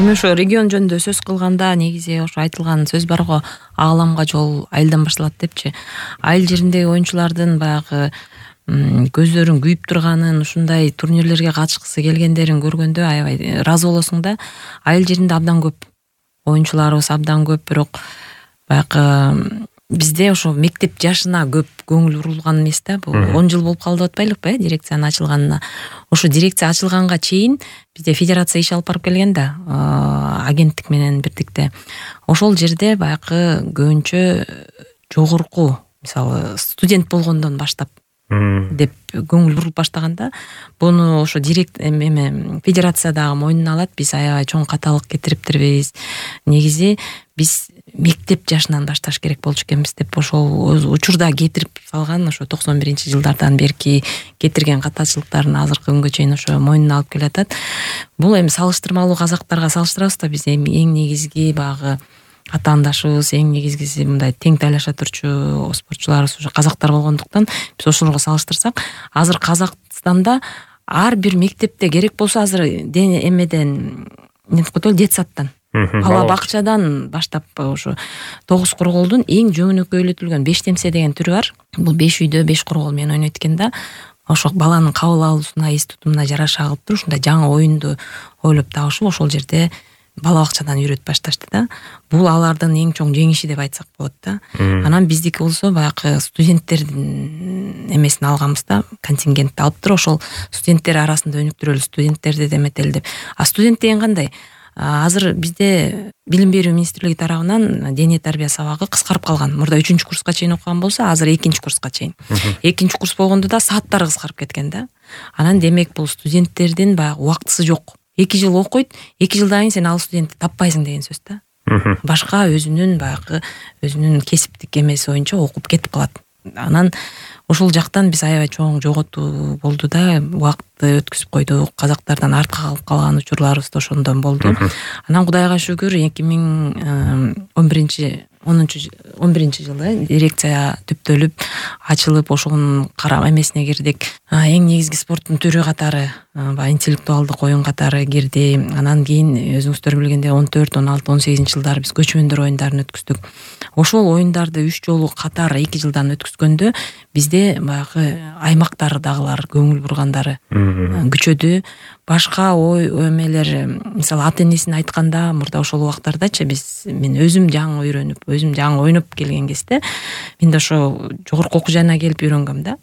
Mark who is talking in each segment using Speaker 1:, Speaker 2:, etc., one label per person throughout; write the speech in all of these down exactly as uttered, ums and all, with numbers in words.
Speaker 1: эми ошо регион жөнүндө сөз кылганда негизи ошо айтылган сөз бар го, ааламга жол айылдан башталат депчи. Айыл жериндеги оюнчулардын баягы көздөрүн күйүп турганын, ушундай турнирлерге катышкысы келгендерин көргөндө аябай ыраазы болосуң да. Айыл жеринде абдан көп оюнчуларыбыз, абдан көп, бирок баягы бизде ошо мектеп жашына көп көңүл бурулган эмес да. Бул он жыл болуп калды деп атпайлыкпы, э, дирекциянын ачылганына. Ошо дирекция ачылганга чейин бизде федерация иш алып барып келген да, агенттик менен бирдикте. Ошол жерде баягы көбүнчө жогорку, мисалы, студент болгондон баштап деп көңүл бурулуп баштаганда, буну ошо директ эме федерациядагы мойнуна алат. Биз аябай чоң каталык кетириптирбиз. Негизи биз мектеп жашынан башташ керек болчу экенбиз деп ошол учурда кетирип салган, ошо токсон биринчи жылдардан берки кетирген катачылыктарын азыркы күнгө чейин ошо мойнуна алып келатат. Бул эми салыштырмалуу казактарга салыштырабыз да, биз эми эң негизги багы атаандашыбыз, эң негизгиси мындай тең тайлаша турчу спортчуларыбыз ошо казактар болгондуктан биз ошолорго салыштырсак, азыр Казакстанда ар бир мектепте керек болсо азыр эмеден эмне коет, детсадтан, бала бакчадан баштап ошо тогуз корголдун эң жөнөкөйлөтүлгөн беш темсе деген түрү бар. Бул беш үйдө беш коргол менен ойнойт экен да. Ошо баланын кабыл алуусуна, эс тутумуна жараша кылып туруп ушундай жаңы оюнду ойлоп табышып, ошол жерде бала бакчадан үйрөтүп башташты да. Бул алардын эң чоң жеңиши деп айтсак болот да. Анан биздики болсо баягы студенттердин эмесин алганбыз да, контингентти алып туруп ошол студенттер арасында өнүктүрөлү, студенттерди деметели деп. А студент деген кандай? Азыр бизде билим берүү министрлиги тарабынан дене тарбия сабагы кыскарып калган. Мурда үчүнчү курска чейин окуган болсо, азыр экинчи курска чейин. Экинчи курс болгондо да сааттары кыскарып кеткен да. Анан демек бул студенттердин баягы убактысы жок. эки жыл окуйт, эки жылдан кийин сен ал студентти таппайсың деген сөз да. Башка өзүнүн баягы өзүнүн кесиптик эмеси боюнча окуп кетип калат. Анан ошол жактан биз аябай чоң жоготуу болду да, убакытты өткүзүп койдук. Казактардан артка калып калган учурларыбыз да ошондон болду. Анан Кудайга шүгүр эки миң он биринчи он биринчи жылы дирекция түптөлүп, ачылып, ошонун кара эмесине кирдик. Эң негизги спорттун түрү катары, баягы интеллектуалдык оюн катары кирди. Анан кийин өзүңүздөр билгендей он төрт, он алты, он сегизинчи жылдары биз көчмөндөр оюндарын өткүздүк. Ошол оюндарды үч жолу катары эки жылдан өткүзгөндө бизде баягы аймактардагылар көңүл бургандары күчөдү. Башка ой эмелер, мисалы ата энесин айтканда, мурда ошол убактардачы биз мен өзүм жаңы үйрөнүп, өзүм жаңы ойноп келген кезде мен да ошо жогорку окуу жайына келип үйрөнгөм да.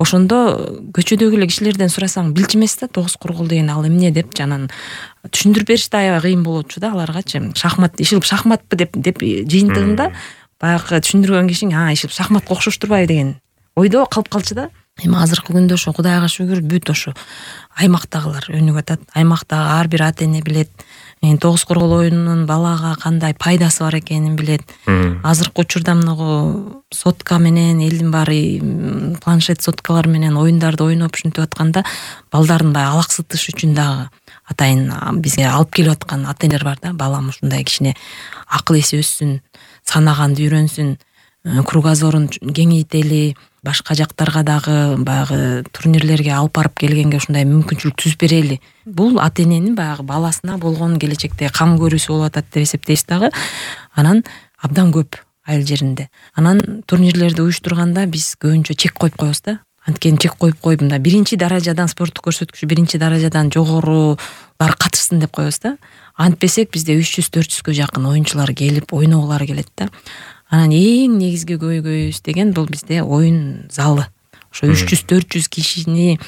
Speaker 1: Ошондо көчөдөгү эле кишилерден сурасаң билчү эмес да, тогуз коргол деген ал эмне деп жанан түшүндүрүп бериш да аябай кыйын болчу да аларгачы. Шахмат, ишилип шахматпы деп деп жыйынтыгында баягы түшүндүргөн кишиң, а ишилип шахматка окшош турбайбы деген ойдо калып калчу да. Эми азыркы күндө ошо Кудайга шүгүр бүт ошо аймактагылар өнүгүп атат. Аймактагы ар бир ата эне билет. Тогуз коргол оюнунун балага кандай пайдасы бар экенин билет. Азыркы учурда мынагу сотка менен элдин баары планшет соткалар менен оюндарды ойноп ушинтип атканда балдарын баягы алаксытыш үчүн дагы атайын бизге алып келип аткан ата энелер бар да. Балам ушундай кичине акыл эси өссүн, санаганды үйрөнсүн, кругозорун кеңейтели, башка жактарга дагы баягы турнирлерге алып барып келгенге ушундай мүмкүнчүлүк түзүп берели. Бул ата эненин баягы баласына болгон келечекте кам көрүүсү болуп атат деп эсептейбиз дагы. Анан абдан көп айыл жеринде. Анан турнирлерди уюштурганда биз көбүнчө чек коюп коебуз да. Анткени чек коюп коюп мында биринчи даражадан спорттук көрсөткүчү биринчи даражадан жогорулар катышсын деп коебуз да. Антпесек бизде үч жүз төрт жүзгө жакын оюнчулар келип ойногулары келет да. Анан эң негизги көйгөйүбүз деген бул бизде оюн залы. Ошо үч жүз төрт жүз кишини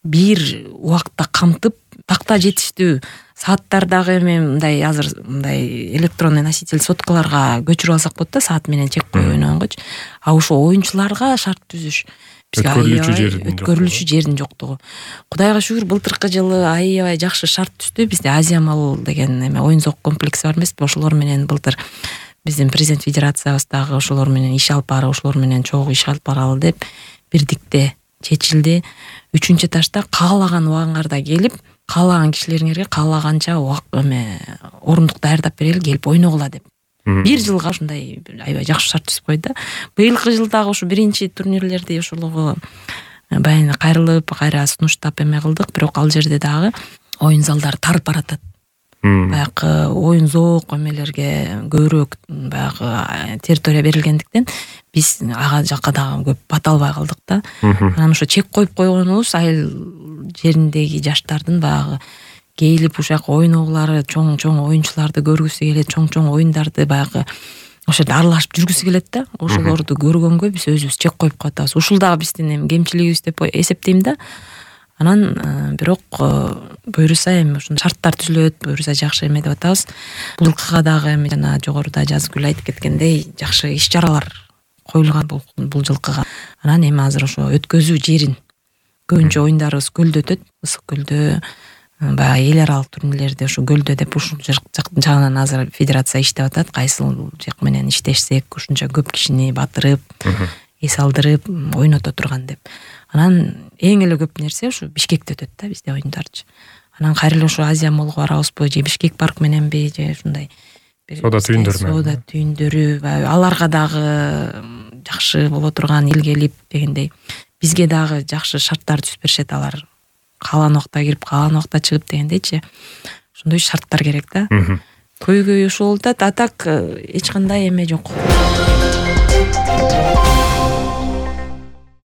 Speaker 1: бир убакытта камтып, такта жетиштүү сааттардагы эми мындай азыр мындай электронный носитель соткаларга көчүрүп алсак болот да, саат менен чек коюп ойногонгочу. А ошо оюнчуларга шарт түзүш өткөрүлүшү жердин жоктугу. Кудайга шүгүр былтыркы жылы аябай жакшы шарт түздү. Бизде Азия Мол деген эме оюн зоок комплекси бар эмеспи? Ошолор менен былтыр биздин президент федерациябыз дагы ошолор менен иш алып барып, ошолор менен чогуу иш алып баралы деп бирдикте чечилди. Үчүнчү этажда каалаган убагыңарда келип, каалаган кишилериңерге каалаганча эме орундук даярдап берели, келип ойногула деп. Бир жылга ушундай аябай жакшы шарт түзүп койду да. Быйылкы жылдагы ушу биринчи турнирлерди ошолого баягы кайрылып, кайра сунуштап эме кылдык, бирок ал жерде дагы оюн залдары тарып баратат. баягы оюн зоок эмелерге көбүрөөк баягы территория берилгендиктен биз ага жакка дагы көп бата албай калдык да. Анан ошо чек коюп койгонубуз айыл жериндеги жаштардын баягы келип ушак ойногулары, чоң чоң оюнчуларды көргүсү келет, чоң чоң оюндарды баягы ошол жерде аралашып жүргүсү келет да. Ошолорду көргөнгө биз өзүбүз чек коюп катабыз. Ушул дагы биздин эми кемчилигибиз деп эсептейм да. Анан бирок буюрса эми ушул шарттар түзүлөт, буюрса жакшы эме деп атабыз. Бул жылкыга дагы эми жана жогоруда Жазгүл айтып кеткендей жакшы иш-чаралар коюлган бул жылкыга. Анан эми азыр ошо өткөзүү жерин көбүнчө оюндарыбыз көлдө өтөт, Ысык көлдө, баягы эл аралык турнирлерде ушу көлдө деп ушул жагынан азыр федерация иштеп атат. Кайсыл жак менен иштешсек ушунча көп кишини батырып, эс алдырып ойното турган деп. Анан эң эле көп нерсе ушу Бишкекте өтөт да бизде оюндарчы. Анан кайра эле ушу Азия молго барабызбы же Бишкек парк мененби же ушундай
Speaker 2: соода түйүндөрү менен.
Speaker 1: Соода түйүндөрү аларга дагы жакшы боло турган эл келип дегендей бизге дагы жакшы шарттар түзүп беришет. Алар каалган убакта кирип, каалган убакта чыгып дегендейчи. Ошондой шарттар керек да. Көйгөй ушул болуп атат. А так эч кандай эме жок.